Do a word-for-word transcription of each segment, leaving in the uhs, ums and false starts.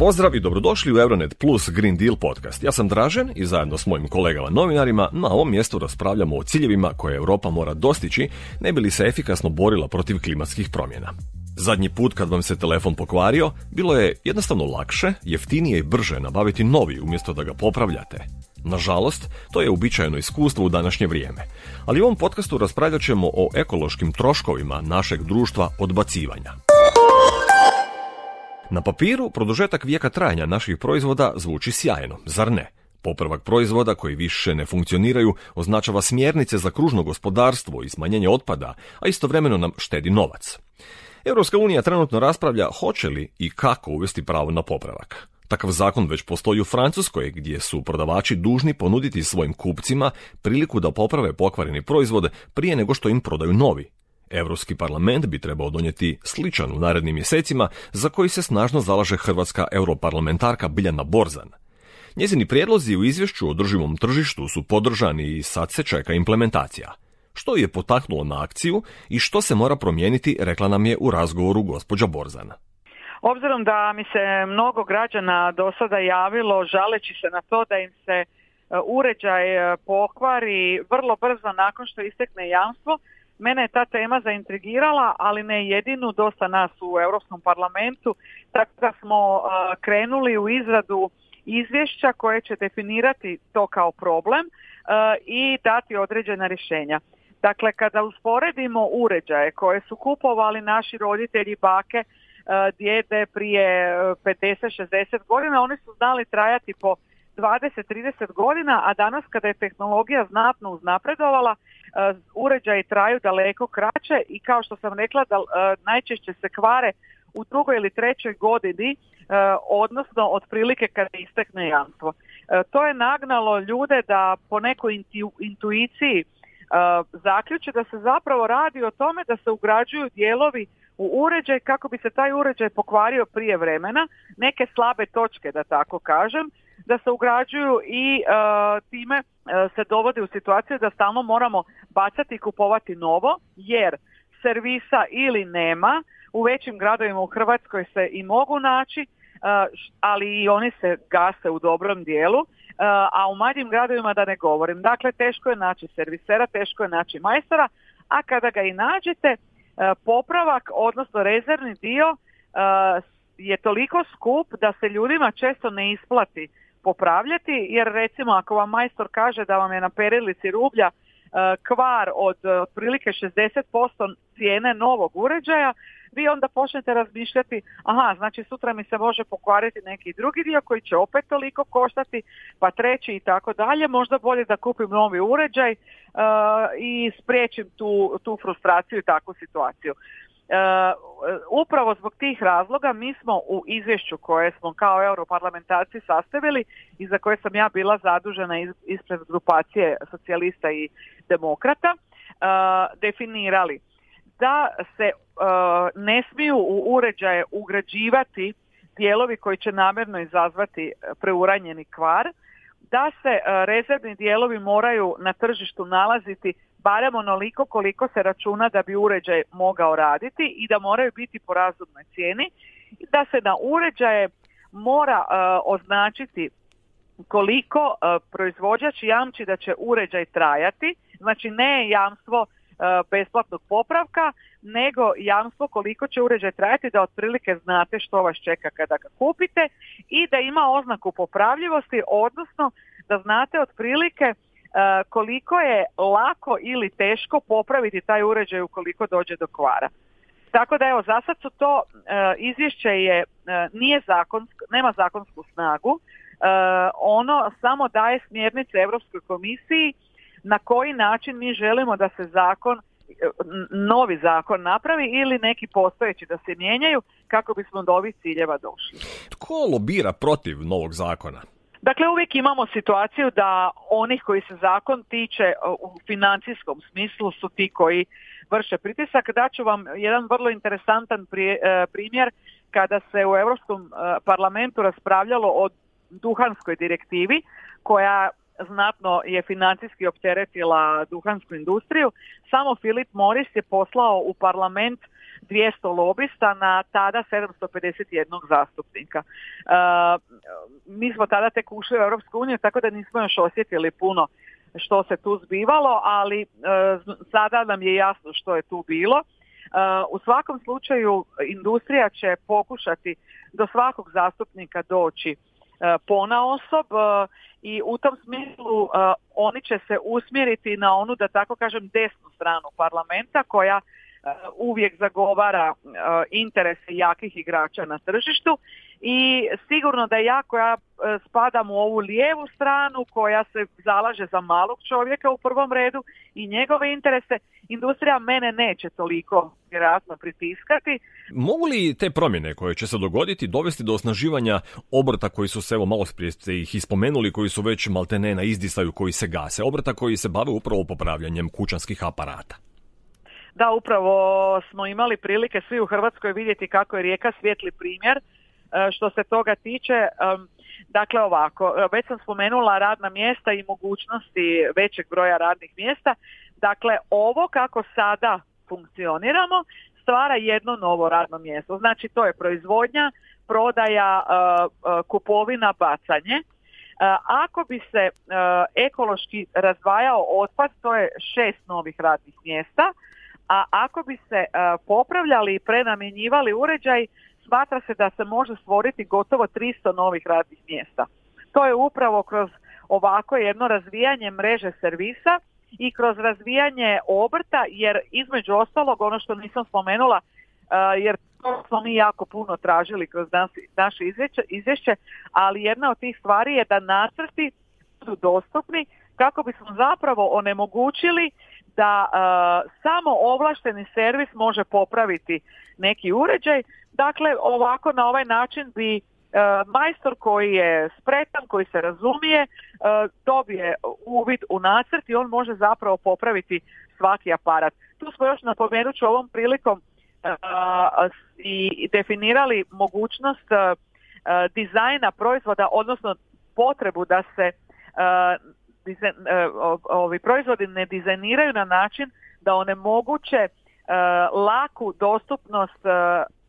Pozdrav i dobrodošli u Euronet Plus Green Deal podcast. Ja sam Dražen i zajedno s mojim kolegama novinarima na ovom mjestu raspravljamo o ciljevima koje Europa mora dostići ne bi li se efikasno borila protiv klimatskih promjena. Zadnji put kad vam se telefon pokvario, bilo je jednostavno lakše, jeftinije i brže nabaviti novi umjesto da ga popravljate. Nažalost, to je uobičajeno iskustvo u današnje vrijeme. Ali u ovom podcastu raspravljat ćemo o ekološkim troškovima našeg društva odbacivanja. Na papiru, produžetak vijeka trajanja naših proizvoda zvuči sjajno, zar ne? Popravak proizvoda koji više ne funkcioniraju označava smjernice za kružno gospodarstvo i smanjenje otpada, a istovremeno nam štedi novac. Europska unija trenutno raspravlja hoće li i kako uvesti pravo na popravak. Takav zakon već postoji u Francuskoj, gdje su prodavači dužni ponuditi svojim kupcima priliku da poprave pokvareni proizvod prije nego što im prodaju novi. Europski parlament bi trebao donijeti sličan u narednim mjesecima, za koji se snažno zalaže hrvatska europarlamentarka Biljana Borzan. Njezini prijedlozi u izvješću o održivom tržištu su podržani i sad se čeka implementacija. Što je potaknulo na akciju i što se mora promijeniti, rekla nam je u razgovoru gospođa Borzan. Obzirom da mi se mnogo građana do sada javilo žaleći se na to da im se uređaj pokvari vrlo brzo nakon što istekne jamstvo, mene je ta tema zaintrigirala, ali ne jedinu, dosta nas u Europskom parlamentu, tako da smo krenuli u izradu izvješća koje će definirati to kao problem i dati određena rješenja. Dakle, kada usporedimo uređaje koje su kupovali naši roditelji, bake, djede prije pedeset šezdeset godina, oni su znali trajati po dvadeset trideset godina, a danas kada je tehnologija znatno uznapredovala, uređaji traju daleko kraće i kao što sam rekla da najčešće se kvare u drugoj ili trećoj godini, odnosno otprilike kada istekne jamstvo. To je nagnalo ljude da po nekoj intu, intuiciji zaključe da se zapravo radi o tome da se ugrađuju dijelovi u uređaj kako bi se taj uređaj pokvario prije vremena, neke slabe točke da tako kažem, da se ugrađuju i uh, time uh, se dovodi u situaciju da stalno moramo bacati i kupovati novo, jer servisa ili nema, u većim gradovima u Hrvatskoj se i mogu naći, uh, ali i oni se gase u dobrom dijelu, uh, a u manjim gradovima da ne govorim. Dakle, teško je naći servisera, teško je naći majstora, a kada ga i nađete, uh, popravak, odnosno rezervni dio, uh, je toliko skup da se ljudima često ne isplati popravljati, jer recimo ako vam majstor kaže da vam je na perilici rublja kvar od otprilike šezdeset posto cijene novog uređaja, vi onda počnete razmišljati, aha, znači sutra mi se može pokvariti neki drugi dio koji će opet toliko koštati, pa treći i tako dalje, možda bolje da kupim novi uređaj uh, i spriječim tu, tu frustraciju i takvu situaciju. Uh, upravo zbog tih razloga mi smo u izvješću koje smo kao europarlamentarci sastavili i za koje sam ja bila zadužena iz, ispred grupacije socijalista i demokrata, uh, definirali da se uh, ne smiju u uređaje ugrađivati dijelovi koji će namjerno izazvati preuranjeni kvar, da se uh, rezervni dijelovi moraju na tržištu nalaziti barem onoliko koliko se računa da bi uređaj mogao raditi i da moraju biti po razumnoj cijeni, da se na uređaje mora uh, označiti koliko uh, proizvođač jamči da će uređaj trajati, znači ne jamstvo uh, besplatnog popravka, nego jamstvo koliko će uređaj trajati, da otprilike znate što vas čeka kada ga kupite i da ima oznaku popravljivosti, odnosno da znate otprilike Uh, koliko je lako ili teško popraviti taj uređaj ukoliko dođe do kvara. Tako da evo, za sad su to uh, izvješće je, uh, nije zakonsko, nema zakonsku snagu, uh, ono samo daje smjernice Europskoj komisiji na koji način mi želimo da se zakon, novi zakon napravi ili neki postojeći da se mijenjaju kako bismo do ovih ciljeva došli. Tko lobira protiv novog zakona? Dakle, uvijek imamo situaciju da onih koji se zakon tiče u financijskom smislu su ti koji vrše pritisak. Daću vam jedan vrlo interesantan primjer kada se u Europskom parlamentu raspravljalo o duhanskoj direktivi koja znatno je financijski opteretila duhansku industriju. Samo Philip Morris je poslao u parlament dvjesto lobista na tada sedamsto pedeset jedan zastupnika. Mi smo tada tek ušli u Europsku uniju, tako da nismo još osjetili puno što se tu zbivalo, ali sada nam je jasno što je tu bilo. U svakom slučaju industrija će pokušati do svakog zastupnika doći ponaosob i u tom smislu oni će se usmjeriti na onu, da tako kažem, desnu stranu parlamenta koja uvijek zagovara interese jakih igrača na tržištu i sigurno da ja koja spadam u ovu lijevu stranu koja se zalaže za malog čovjeka u prvom redu i njegove interese, industrija mene neće toliko vjerojatno pritiskati. Mogu li te promjene koje će se dogoditi dovesti do osnaživanja obrta koji su se, evo malo prije ste ih ispomenuli, koji su već maltene na izdisaju, koji se gase, obrta koji se bave upravo popravljanjem kućanskih aparata? Da, upravo smo imali prilike svi u Hrvatskoj vidjeti kako je Rijeka svijetli primjer što se toga tiče. Dakle ovako, već sam spomenula radna mjesta i mogućnosti većeg broja radnih mjesta. Dakle, ovo kako sada funkcioniramo stvara jedno novo radno mjesto. Znači to je proizvodnja, prodaja, kupovina, bacanje. Ako bi se ekološki razdvajao otpad, to je šest novih radnih mjesta. A ako bi se uh, popravljali i prenamjenjivali uređaj, smatra se da se može stvoriti gotovo tristo novih radnih mjesta. To je upravo kroz ovako jedno razvijanje mreže servisa i kroz razvijanje obrta, jer između ostalog, ono što nisam spomenula, uh, jer to smo mi jako puno tražili kroz nas, naše izvješće, izvješće, ali jedna od tih stvari je da nacrti su dostupni kako bismo zapravo onemogućili da uh, samo ovlašteni servis može popraviti neki uređaj. Dakle, ovako na ovaj način bi uh, majstor koji je spretan, koji se razumije, uh, dobije uvid u nacrt i on može zapravo popraviti svaki aparat. Tu smo još, napomenut ću ovom prilikom, uh, i definirali mogućnost uh, dizajna proizvoda, odnosno potrebu da se uh, Dizajn, ovi proizvodi ne dizajniraju na način da onemoguće uh, laku dostupnost uh,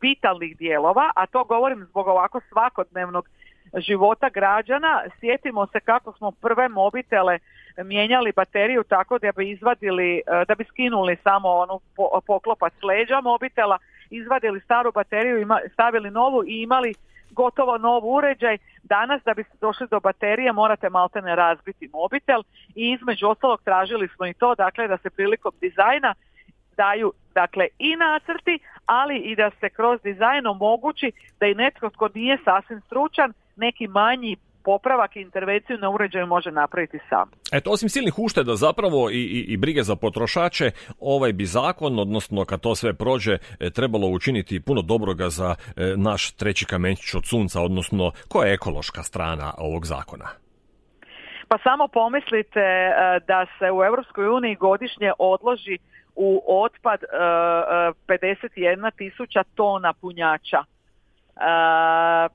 vitalnih dijelova, a to govorim zbog ovako svakodnevnog života građana. Sjetimo se kako smo prve mobitele mijenjali bateriju tako da bi izvadili, uh, da bi skinuli samo onu po, poklopac leđa mobitela, izvadili staru bateriju, ima, stavili novu i imali gotovo nov uređaj. Danas da biste došli do baterije morate maltene razbiti mobitel i između ostalog tražili smo i to, dakle da se prilikom dizajna daju dakle i nacrti, ali i da se kroz dizajn omogući da i netko tko nije sasvim stručan neki manji popravak i intervenciju na uređaju može napraviti sam. Eto, osim silnih ušteda zapravo i, i, i brige za potrošače, ovaj bi zakon, odnosno kad to sve prođe, trebalo učiniti puno dobroga za e, naš treći kamenčić od sunca, odnosno koja je ekološka strana ovog zakona? Pa samo pomislite e, da se u Europskoj uniji godišnje odloži u otpad e, pedeset jedna tisuća tona punjača. Uh,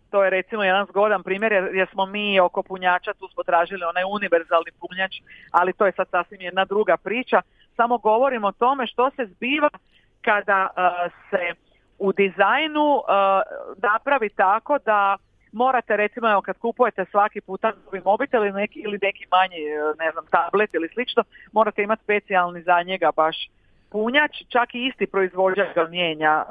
to je recimo jedan zgodan primjer jer, jer smo mi oko punjača, tu smo tražili onaj univerzalni punjač, ali to je sad sasvim jedna druga priča. Samo govorimo o tome što se zbiva kada uh, se u dizajnu uh, napravi tako da morate recimo, evo, kad kupujete svaki puta novi mobitel ili neki, ili neki manji, ne znam, tablet ili slično, morate imati specijalni za njega baš punjač, čak i isti proizvođač ga mijenja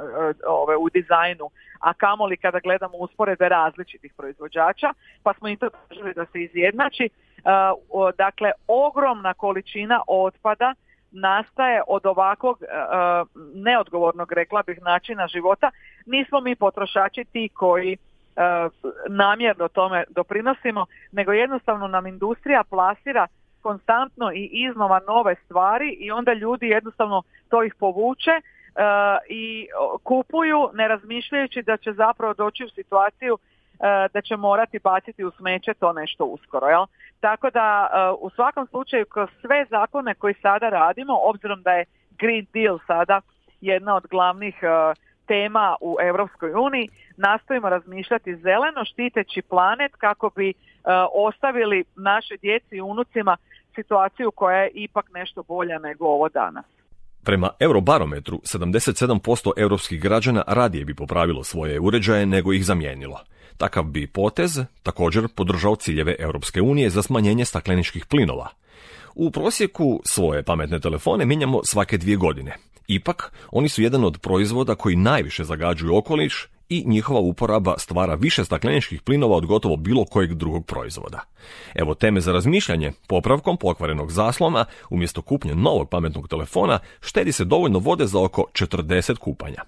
ove, u dizajnu, a kamoli kada gledamo usporedbe različitih proizvođača, pa smo i to tražili da se izjednači. Uh, dakle, ogromna količina otpada nastaje od ovakvog uh, neodgovornog, rekla bih, načina života. Nismo mi potrošači ti koji uh, namjerno tome doprinosimo, nego jednostavno nam industrija plasira konstantno i iznova nove stvari i onda ljudi jednostavno to ih povuče uh, i kupuju ne razmišljajući da će zapravo doći u situaciju uh, da će morati baciti u smeće to nešto uskoro. Jel? Tako da uh, u svakom slučaju kroz sve zakone koji sada radimo, obzirom da je Green Deal sada jedna od glavnih uh, tema u Europskoj uniji, nastojimo razmišljati zeleno, štiteći planet kako bi uh, ostavili našoj djeci i unucima situaciju koja je ipak nešto bolja nego ovo danas. Prema Eurobarometru, sedamdeset sedam posto europskih građana radije bi popravilo svoje uređaje nego ih zamijenilo. Takav bi potez također podržao ciljeve Europske unije za smanjenje stakleničkih plinova. U prosjeku svoje pametne telefone mijenjamo svake dvije godine. Ipak, oni su jedan od proizvoda koji najviše zagađuju okoliš i njihova uporaba stvara više stakleničkih plinova od gotovo bilo kojeg drugog proizvoda. Evo teme za razmišljanje: popravkom pokvarenog zaslona umjesto kupnje novog pametnog telefona štedi se dovoljno vode za oko četrdeset kupanja.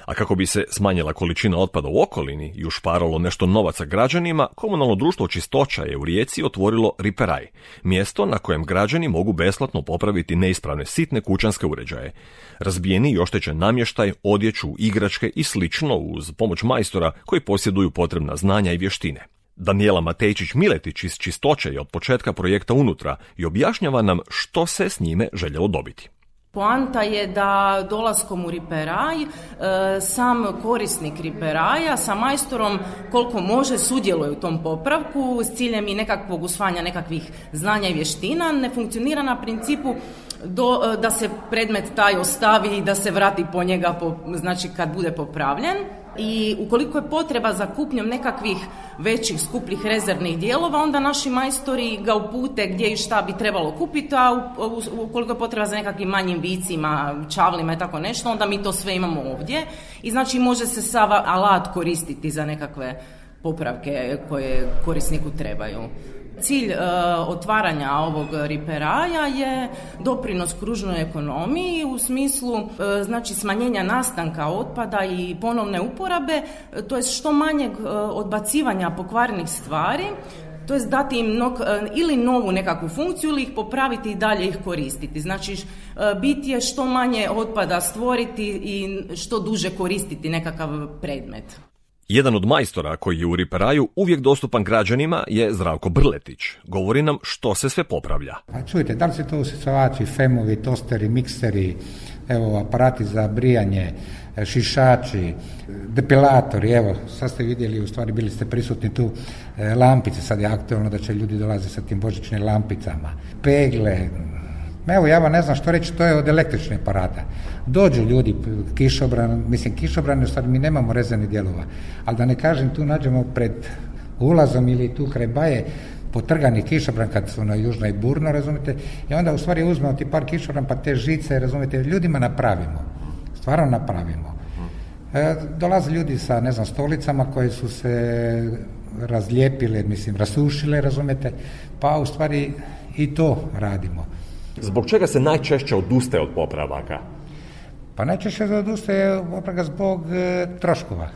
A kako bi se smanjila količina otpada u okolini i ušparalo nešto novaca građanima, komunalno društvo Čistoća je u Rijeci otvorilo Riperaj, mjesto na kojem građani mogu besplatno popraviti neispravne sitne kućanske uređaje. Razbijeni i oštećen namještaj, odjeću, igračke i slično uz pomoć majstora koji posjeduju potrebna znanja i vještine. Danijela Matejčić-Miletić iz Čistoće je od početka projekta unutra i objašnjava nam što se s njime željelo dobiti. Poanta je da dolaskom u Riperaj e, sam korisnik Riperaja sa majstorom koliko može sudjeluje u tom popravku s ciljem i nekakvog usvajanja nekakvih znanja i vještina. Ne funkcionira na principu do, da se predmet taj ostavi i da se vrati po njega po, znači kad bude popravljen. I ukoliko je potreba za kupnjom nekakvih većih skupljih rezervnih dijelova, onda naši majstori ga upute gdje i šta bi trebalo kupiti, a ukoliko je potreba za nekakvim manjim vicima, čavlima i tako nešto, onda mi to sve imamo ovdje. I znači može se sav alat koristiti za nekakve popravke koje korisniku trebaju. Cilj e, otvaranja ovog Riperaja je doprinos kružnoj ekonomiji u smislu e, znači smanjenja nastanka otpada i ponovne uporabe, e, to je što manjeg e, odbacivanja pokvarenih stvari, to je dati im nog, e, ili novu nekakvu funkciju ili ih popraviti i dalje ih koristiti. Znači e, bit je što manje otpada stvoriti i što duže koristiti nekakav predmet. Jedan od majstora koji je u Riperaju uvijek dostupan građanima je Zdravko Brletić. Govori nam što se sve popravlja. A čujte, da li se to usisavači, femovi, tosteri, mikseri, evo aparati za brijanje, šišači, depilatori, evo sad ste vidjeli, u stvari bili ste prisutni tu, lampice, sad je aktualno da će ljudi dolaze sa tim božićnim lampicama, pegle. Evo, ja vam ne znam što reći, to je od električnih aparata. Dođu ljudi, kišobran, mislim kišobran, u stvari mi nemamo rezervnih dijelova, ali da ne kažem, tu nađemo pred ulazom ili tu kraj baje potrgani kišobran kad su na južnoj burno, razumite, i onda u stvari uzmemo ti par kišobran pa te žice, razumite, ljudima napravimo, stvarno napravimo. E, dolaze ljudi sa, ne znam, stolicama koje su se razlijepile, mislim, rasušile, razumite, pa u stvari i to radimo. Zbog čega se najčešće odustaje od popravaka? Pa najčešće se odustaje od popravaka zbog e, troškova.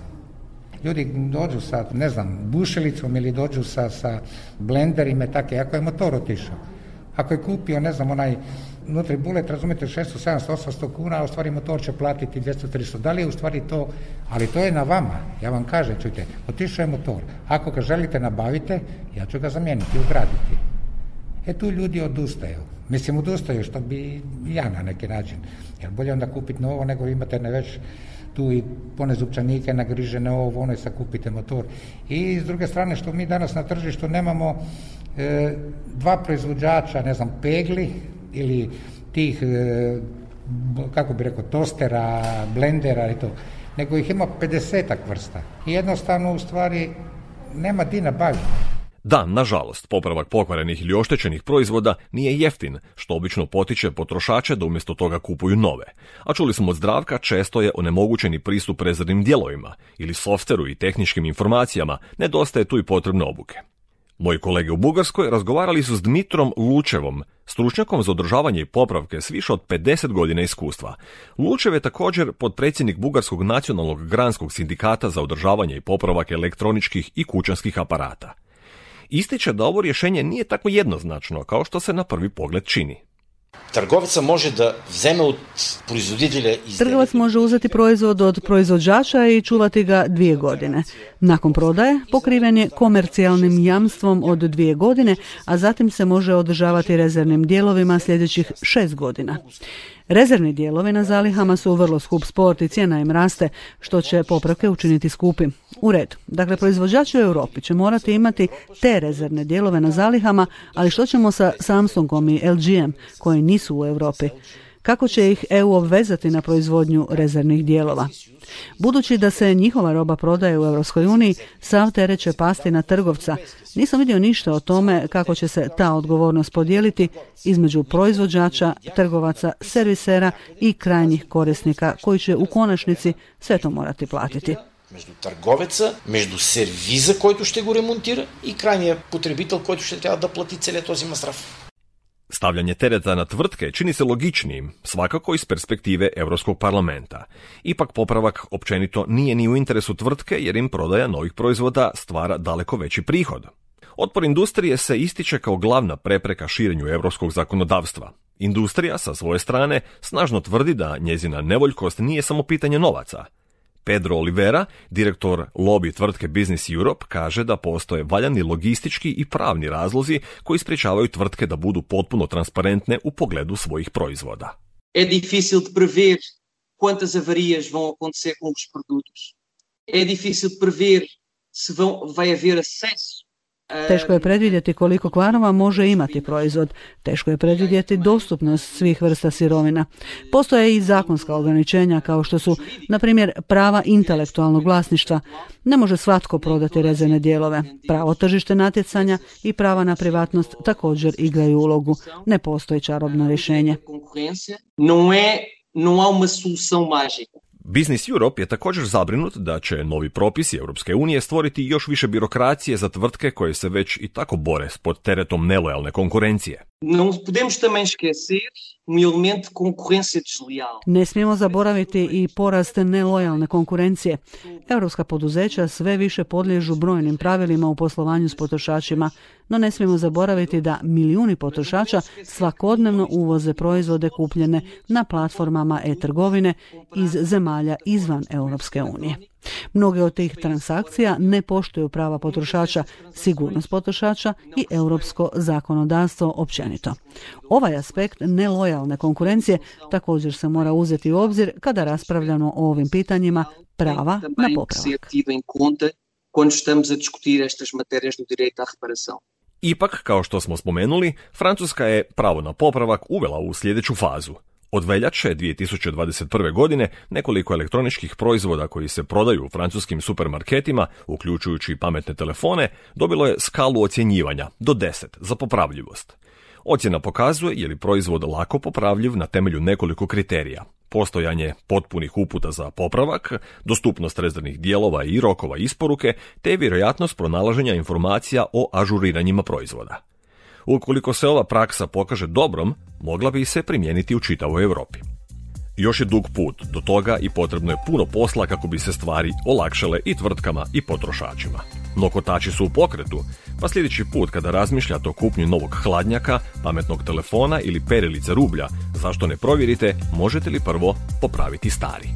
Ljudi dođu sa, ne znam, bušelicom ili dođu sa, sa blenderima i tako, ako je motor otišao. Ako je kupio, ne znam, onaj nutri bulet, razumijete, šesto, sedamsto, osamsto kuna, a u stvari motor će platiti dvjesto, tristo. Da li je u stvari to, ali to je na vama. Ja vam kažem, čujte, otišao je motor. Ako ga želite nabavite, ja ću ga zamijeniti, ugraditi. E tu ljudi odustaju. Mislim, odustaju što bi ja na neki način. Jer bolje onda kupiti novo nego imate ne već tu i pone zupčanike nagrižene ovo, ono i sad kupite motor. I s druge strane što mi danas na tržištu nemamo e, dva proizvođača, ne znam, pegli ili tih, e, kako bi rekao, tostera, blendera i to, nego ih ima pedesetak vrsta. I jednostavno u stvari nema di nabaviti. Da, nažalost, popravak pokvarenih ili oštećenih proizvoda nije jeftin, što obično potiče potrošače da umjesto toga kupuju nove. A čuli smo od Zdravka, često je onemogućeni pristup rezervnim dijelovima ili softveru i tehničkim informacijama, nedostaje tu i potrebne obuke. Moji kolege u Bugarskoj razgovarali su s Dmitrom Lučevom, stručnjakom za održavanje i popravke s više od pedeset godina iskustva. Lučev je također potpredsjednik Bugarskog nacionalnog granskog sindikata za održavanje i popravak elektroničkih i kućanskih aparata. Ističe da ovo rješenje nije tako jednoznačno kao što se na prvi pogled čini. Trgovac može da vzeme od proizvoditelja izdelje. Trgovac može uzeti proizvod od proizvođača i čuvati ga dvije godine. Nakon prodaje pokriven je komercijalnim jamstvom od dvije godine, a zatim se može održavati rezervnim dijelovima sljedećih šest godina. Rezervni dijelovi na zalihama su vrlo skup sport i cijena im raste, što će popravke učiniti skupim. U redu. Dakle, proizvođači u Europi će morati imati te rezervne dijelove na zalihama, ali što ćemo sa Samsungom i L G-em koji nisu u Europi? Kako će ih E U obvezati na proizvodnju rezervnih dijelova? Budući da se njihova roba prodaje u Europskoj uniji, sav teret će pasti na trgovca. Nisam vidio ništa o tome kako će se ta odgovornost podijeliti između proizvođača, trgovaca, servisera i krajnjih korisnika koji će u konačnici sve to morati platiti. Между търговеца, между сервиза, който ще го ремонтира и крайния потребител, който ще трябва да плати целият този масраф. Stavljanje tereta na tvrtke čini se logičnijim, svakako iz perspektive Europskog parlamenta. Ipak popravak općenito nije ni u interesu tvrtke jer im prodaja novih proizvoda stvara daleko veći prihod. Otpor industrije se ističe kao glavna prepreka širenju europskog zakonodavstva. Industrija sa svoje strane snažno tvrdi da njezina nevoljkost nije samo pitanje novaca. Pedro Oliveira, direktor lobby tvrtke Business Europe, kaže da postoje valjani logistički i pravni razlozi koji sprječavaju tvrtke da budu potpuno transparentne u pogledu svojih proizvoda. É difícil de prever quantas avarias vão acontecer com os produtos. É difícil prever se vão, vai haver acesso. Teško je predvidjeti koliko kvarova može imati proizvod. Teško je predvidjeti dostupnost svih vrsta sirovina. Postoje i zakonska ograničenja kao što su, na primjer, prava intelektualnog vlasništva. Ne može svatko prodati rezervne dijelove. Pravo tržište natjecanja i prava na privatnost također igraju ulogu. Ne postoji čarobno rješenje. Não é, não há uma solução mágica. Business Europe je također zabrinut da će novi propisi Europske unije stvoriti još više birokracije za tvrtke koje se već i tako bore pod teretom nelojalne konkurencije. Não podemos também esquecer um elemento de concorrência desleal. Ne smijemo zaboraviti i porast nelojalne konkurencije. Europska poduzeća sve više podliježu brojnim pravilima u poslovanju s potrošačima, no ne smijemo zaboraviti da milijuni potrošača svakodnevno uvoze proizvode kupljene na platformama e-trgovine iz zemalja izvan Europske unije. Mnoge od tih transakcija ne poštuju prava potrošača, sigurnost potrošača i europsko zakonodavstvo općenito. Ovaj aspekt nelojalne konkurencije također se mora uzeti u obzir kada raspravljamo o ovim pitanjima prava na popravak. Ipak, kao što smo spomenuli, Francuska je pravo na popravak uvela u sljedeću fazu. Od veljače dvije tisuće dvadeset prve. godine nekoliko elektroničkih proizvoda koji se prodaju u francuskim supermarketima, uključujući pametne telefone, dobilo je skalu ocjenjivanja do deset za popravljivost. Ocjena pokazuje je li proizvod lako popravljiv na temelju nekoliko kriterija. Postojanje potpunih uputa za popravak, dostupnost rezervnih dijelova i rokova isporuke, te vjerojatnost pronalaženja informacija o ažuriranjima proizvoda. Ukoliko se ova praksa pokaže dobrom, mogla bi se primijeniti u čitavoj Europi. Još je dug put do toga i potrebno je puno posla kako bi se stvari olakšale i tvrtkama i potrošačima. No kotači su u pokretu, pa sljedeći put kada razmišljate o kupnji novog hladnjaka, pametnog telefona ili perilice rublja, zašto ne provjerite možete li prvo popraviti stari.